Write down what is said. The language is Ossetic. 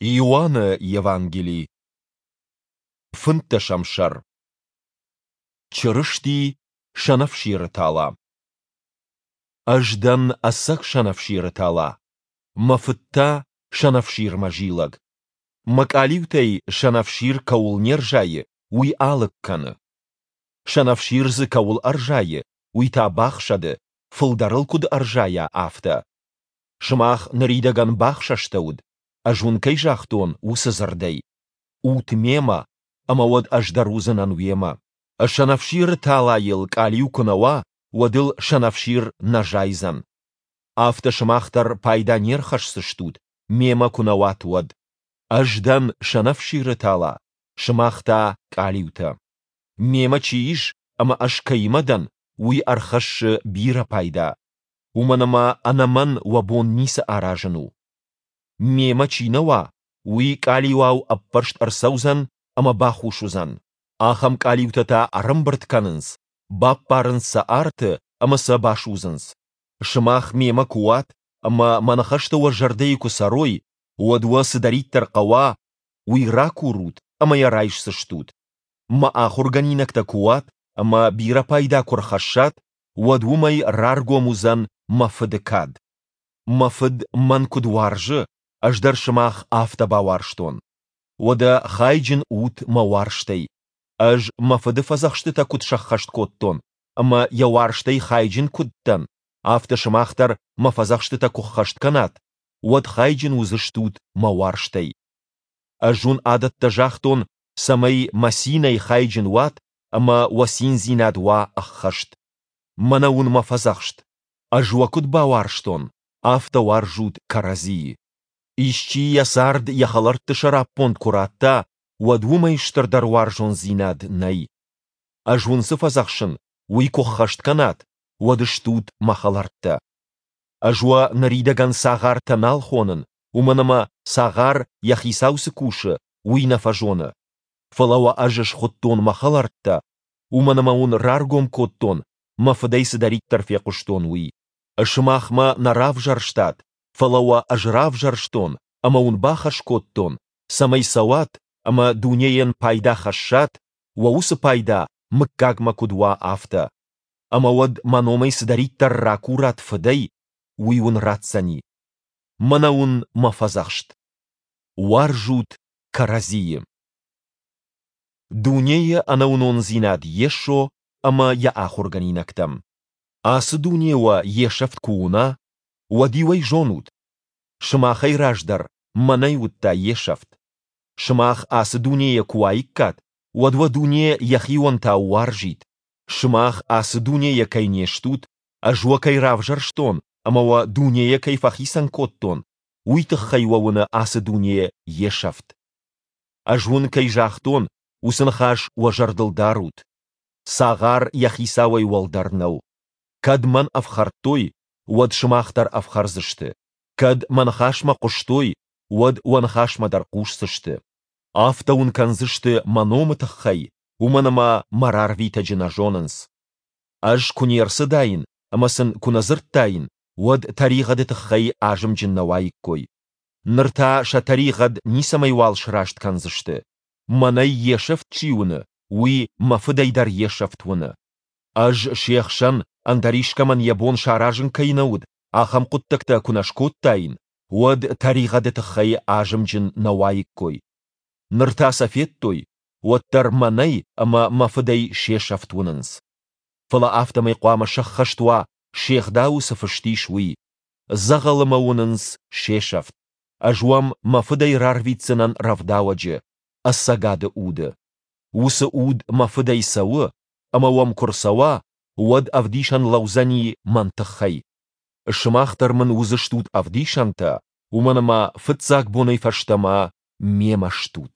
Иоанны Евангели, фынддӕсӕм сӕр. Чырысти сӕнӕфсиры тала. Ӕз дӕн ӕцӕг сӕнӕфсиры тала, мӕ Фыд та сӕнӕфсирмӕ зилӕг. Мӕ къалиутӕй сӕнӕфсир кӕуыл не рзайы, уый алыг кӕны. Сӕнӕфсир дзы кӕуыл ӕрзайы, уый та бахсӕды, фылдӕр ыл куыд ӕрзайа, афтӕ. Сымах ныридӕгӕн бахсӕстӕуыд, ӕз уын кӕй загътон, уыцы дзырдӕй. Ут мемӕ, ӕмӕ уӕд ӕз дӕр уыдзынӕн уемӕ. Сӕнӕфсиры талайыл къалиу куы нӕ уа, уӕд ыл сӕнӕфсир нӕ зайдзӕн. Афтӕ сымах дӕр пайда не рхӕсдзыстут, мемӕ куы нӕ уат, уӕд. Ӕз дӕн сӕнӕфсиры тала, сымах та къалиутӕ. Мемӕ чи ис ӕмӕ ӕз кӕимӕ дӕн, уый ӕрхӕссы бирӕ пайда, уымӕн ӕмӕ ӕнӕ мӕн уӕ бон ницы аразын у. Мемӕ чи нӕ уа, уый къалиуау ӕппӕрст ӕрцӕудзӕн ӕмӕ бахус уыдзӕн. Ахӕм къалиутӕ та ӕрӕмбырд кӕнынц, баппарынц сӕ арты ӕмӕ сӕ басудзынц. Сымах мемӕ куы уат ӕмӕ мӕ ныхӕстӕ уӕ зӕрдӕйы куы цӕрой, уӕд уӕ цыдӕриддӕр хъӕуа, уый ракурут ӕмӕ йӕ райсдзыстут. Мӕ ахуыргӕнинӕгтӕ куы уат ӕмӕ бирӕ пайда куы рхӕссат, уӕд уымӕй раргом уыдзӕн мӕ Фыды кад. Мӕ Фыд мӕн куыд уарзы, ӕз дӕр сымах афтӕ бауарзтон. Уӕдӕ хайджын ут мӕ уарзтӕй. Ӕз мӕ Фыды фӕдзӕхстытӕ куыд сӕххӕст кодтон ӕмӕ йӕ уарзтӕй хайджын куыд дӕн, афтӕ сымах дӕр мӕ фӕдзӕхстытӕ куы ххӕст кӕнат, уӕд хайджын уыдзыстут мӕ уарзтӕй. Ӕз уын адӕттӕ загътон, цӕмӕй мӕ цинӕй хайджын уат ӕмӕ уӕ циндзинад уа ӕххӕст. Мӕнӕ уын мӕ фӕдзӕхст: ӕз уӕ куыд бауарзтон, афтӕ уарзут кӕрӕдзийы. Исчи йӕ цард йӕ хӕлӕртты сӕраппонд куы радта, уӕд уымӕй стырдӕр уарзондзинад нӕй. Ӕз уын цы фӕдзӕхсын, уый куы ххӕст кӕнат, уӕд стут мӕ хӕлӕрттӕ. Ӕз уӕ ныридӕгӕн цагъартӕ нал хонын, уымӕн ӕмӕ цагъар, йӕ хицау цы кусы, уый нӕ фӕзоны. Фӕлӕ уӕ ӕз схуыдтон мӕ хӕлӕрттӕ, уымӕн ӕмӕ уын раргом кодтон, мӕ Фыдӕй цыдӕриддӕр фехъуыстон, уый. Сымах мӕ нӕ равзӕрстат, фӕлӕ уӕ ӕз равзӕрстон ӕмӕ уын бахӕс кодтон, цӕмӕй цӕуат ӕмӕ дунейӕн пайда хӕссат, уӕ уыцы пайда мыггагмӕ куыд уа, афтӕ. Ӕмӕ уӕд мӕ номӕй цыдӕриддӕр ракурат Фыдӕй, уый уын ратдзӕни. Мӕнӕ уын мӕ фӕдзӕхст. Уарзут кӕрӕдзийы. Дунейы ӕнӕуынондзинад Йесо ӕмӕ йӕ ахуыргӕнинӕгтӕм. Ацы дуне уӕ йе сӕфт куы уына, уӕд-иу ӕй зонут, сымахӕй раздӕр мӕнӕй уыдта йе сӕфт. Сымах ацы дунейӕ куы уаиккат, уӕд уӕ дуне йӕхионтау уарзид. Сымах ацы дунейӕ кӕй не стут, ӕз уӕ кӕй равзӕрстон ӕмӕ уӕ дунейӕ кӕй фӕхицӕн кодтон, уый тыххӕй уӕ уыны ацы дуне йе сӕфт. Ӕз уын кӕй загътон, уыцы ныхас уӕ зӕрдыл дарут. Цагъар йӕ хицауӕй уӕлдӕр нӕу. Кӕд мӕн ӕфхӕрдтой, уӕд сымах дӕр ӕфхӕрдзысты. Кӕд мӕ ныхасмӕ хъуыстой, уӕд уӕ ныхасмӕ дӕр хъусдзысты. Афтӕ уын кӕндзысты мӕ номы тыххӕй, уымӕн ӕмӕ мӕ рарвитӕджы нӕ зонынц. Ӕз куы не рцыдаин ӕмӕ сын куы нӕ дзырдтаин, уӕд тӕригъӕды тыххӕй азымджын нӕ уаиккой. Ныр та сӕ тӕригъӕд ницӕмӕйуал сраст кӕндзысты. Мӕнӕй йе сӕфт чи уыны, уый мӕ Фыдӕй дӕр йе сӕфт уыны. Ӕз се хсӕн, ӕндӕр искӕмӕн йӕ бон саразын кӕй нӕ уыд, ахӕм хъуыддӕгтӕ куы нӕ скодтаин, уӕд тӕригъӕды тыххӕй азымджын нӕ уаиккой. Ныр та сӕ федтой, уӕддӕр мӕнӕй ӕмӕ мӕ Фыдӕй се сӕфт уынынц. Фӕлӕ афтӕмӕй хъуамӕ сӕххӕст уа, се гъдауы цы фыст ис, уый, Дзӕгъӕлы мӕ уынынц се сӕфт. Ӕз уӕм мӕ Фыдӕй рарвитдзынӕн Рӕвдауӕджы, ӕцӕгады Уды. Уыцы Уд мӕ Фыдӕй цӕуы, ӕмӕ уӕм куы рцӕуа, уӕд ӕвдисӕн лӕудзӕни мӕн тыххӕй. Сымах дӕр мын уыдзыстут ӕвдисӕнтӕ, уымӕн ӕмӕ фыццаг бонӕй фӕстӕмӕ мемӕ стут.